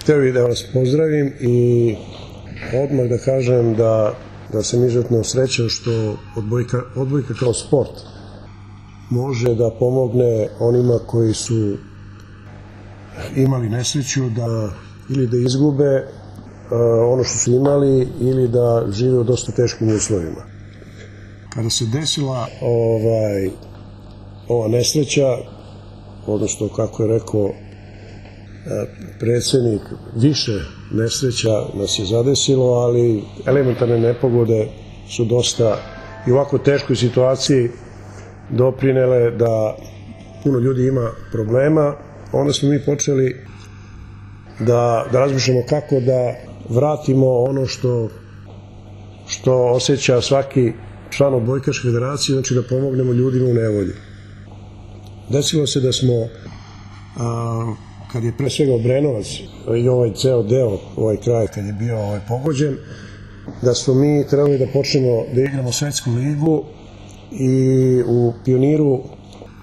hteo bih da vas pozdravim i odmah da kažem da sam izuzetno srećan što odbojka kao sport može da pomogne onima koji su imali nesreću da ili da izgube ono što su imali ili da žive u dosta teškim uslovima. Kada se desila ova nesreća, odnosno kako je rekao predsednik, više nesreća nas je zadesilo, ali elementarne nepogode su dosta i u ovako teškoj situaciji doprinele da puno ljudi ima problema. Onda smo mi počeli da razmišljamo kako da vratimo ono što osjeća svaki član odbojkaške federacije, znači da pomognemo ljudima u nevolji. Desilo se da smo, kad je pre svega Obrenovac i ovaj ceo deo, ovaj kraj kad je bio pogođen, da smo mi trebali da počnemo da igramo svetsku ligu i u Pioniru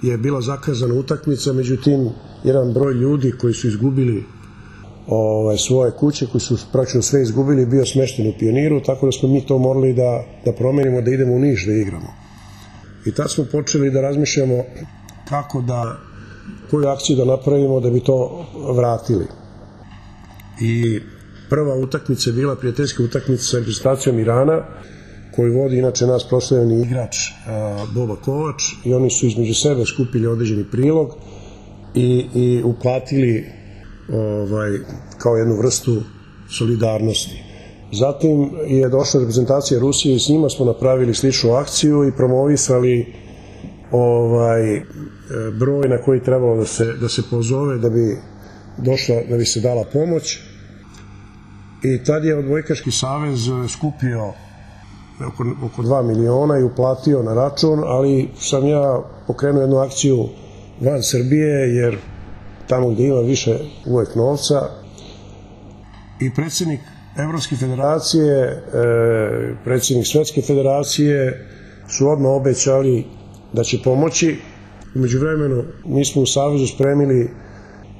je bila zakazana utakmica, međutim jedan broj ljudi koji su izgubili svoje kuće, koji su praktično sve izgubili, bio smešten u Pioniru, tako da smo mi to morali da promenimo, da idemo u Niš da igramo. I tad smo počeli da razmišljamo kako koju akciju da napravimo da bi to vratili. I prva utakmica je bila prijateljska utakmica sa reprezentacijom Irana, koju vodi inače nas proslavljeni igrač Boba Kovač, i oni su između sebe skupili određeni prilog i uplatili kao jednu vrstu solidarnosti. Zatim je došla reprezentacija Rusije i s njima smo napravili sličnu akciju i promovisali broj na koji trebalo da se pozove da bi se dala pomoć. I tad je Odbojkaški savez skupio oko 2 miliona i uplatio na račun, ali sam ja pokrenuo jednu akciju van Srbije, jer tamo gde ima više uvek novca, i predsednik Evropske federacije, predsednik Svetske federacije su odmah obećali da će pomoći. Umeđu vremenu mi smo u Savezu spremili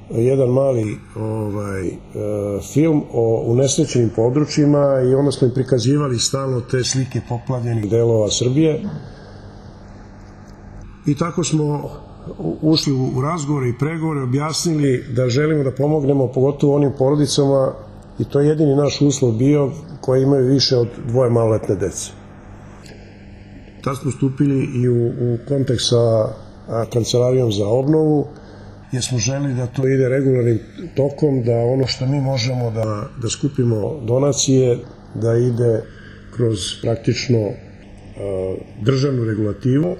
jedan mali film o unesrećenim područjima i onda smo im prikazivali stalno te slike poplavljenih delova Srbije. I tako smo ušli u razgovore i pregovore, objasnili da želimo da pomognemo pogotovo onim porodicama, i to je jedini naš uslov bio, koji imaju više od 2 maloletne dece. Tad smo stupili i u kontakt sa Kancelarijom za obnovu, jer smo želi da to ide regularnim tokom, da ono što mi možemo da skupimo donacije, da ide kroz praktično državnu regulativu.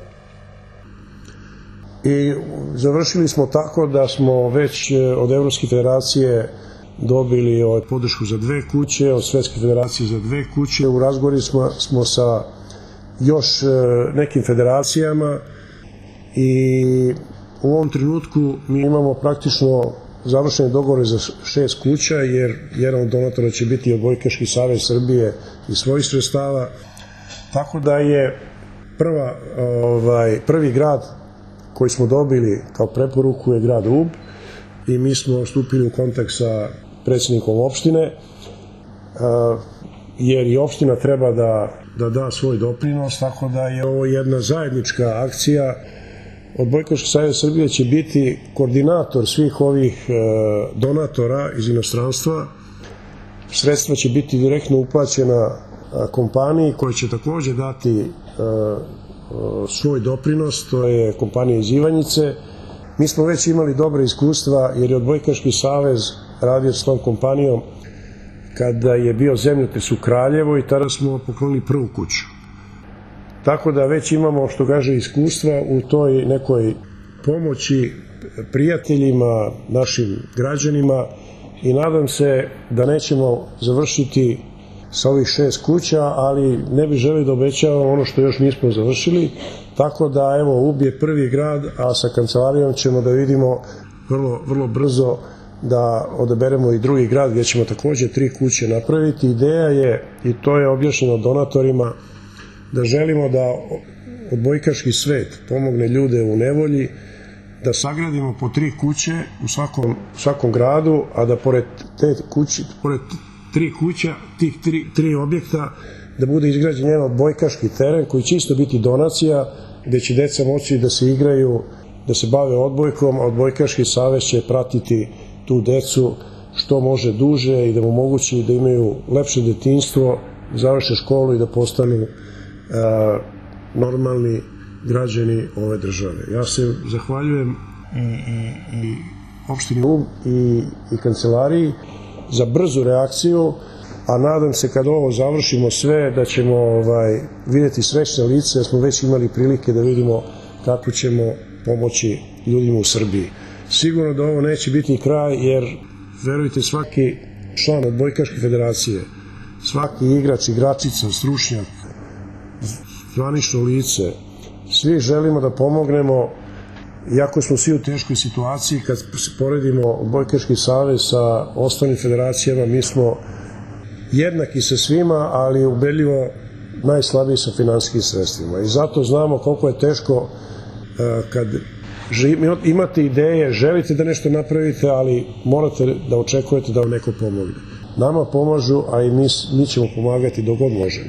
I završili smo tako da smo već od Evropske federacije dobili podršku za 2 kuće, od Svetske federacije za 2 kuće. U razgovoru smo sa još nekim federacijama i u ovom trenutku mi imamo praktično završene dogovore za 6 kuća, jer jedan od donatora će biti Odbojkaški savez Srbije iz svojih sredstava. Tako da je prvi grad koji smo dobili kao preporuku je grad Ub, i mi smo stupili u kontakt sa predsednikom opštine, jer i opština treba da da svoj doprinos, tako da je ovo jedna zajednička akcija. Odbojkaški savez Srbije će biti koordinator svih ovih donatora iz inostranstva. Sredstva će biti direktno uplaćena kompaniji koja će takođe dati svoj doprinos, to je kompanija iz Ivanjice. Mi smo već imali dobre iskustva, jer je Odbojkaški savez radio s tom kompanijom kada je bio zemljotres u Kraljevo, i tada smo poklonili prvu kuću. Tako da već imamo, što kaže, iskustva u toj nekoj pomoći prijateljima, našim građanima, i nadam se da nećemo završiti sa ovih 6 kuća, ali ne bih želio da obećavam ono što još nismo završili, tako da evo, Ub je prvi grad, a sa Kancelarijom ćemo da vidimo vrlo brzo da odaberemo i drugi grad gdje ćemo takođe 3 kuće napraviti. Ideja je, i to je objašnjeno donatorima, da želimo da odbojkaški svet pomogne ljude u nevolji, da sagradimo po 3 kuće u svakom gradu, a da pored te kuće, pored 3 kuća, tih 3 objekta, da bude izgrađen jedan odbojkaški teren koji će isto biti donacija, gde će deca moći da se igraju, da se bave odbojkom, a odbojkaški savez će pratiti tu decu što može duže i da mu omogući da imaju lepše detinjstvo, završe školu i da postanu normalni građani ove države. Ja se zahvaljujem i opštini Ub i kancelariji za brzu reakciju, a nadam se kad ovo završimo sve da ćemo vidjeti srećne lice, jer smo već imali prilike da vidimo kako ćemo pomoći ljudima u Srbiji. Sigurno da ovo neće biti kraj, jer verujte, svaki član odbojkaške federacije, svaki igrač, igračica, stručnjak, zvanično lice, svi želimo da pomognemo, iako smo svi u teškoj situaciji. Kad se poredimo odbojkaški savez sa ostalim federacijama, mi smo jednaki sa svima, ali ubedljivo najslabiji sa finansijskim sredstvima. I zato znamo koliko je teško kad imate ideje, želite da nešto napravite, ali morate da očekujete da vam neko pomogne. Nama pomažu, a i mi ćemo pomagati dok god možemo.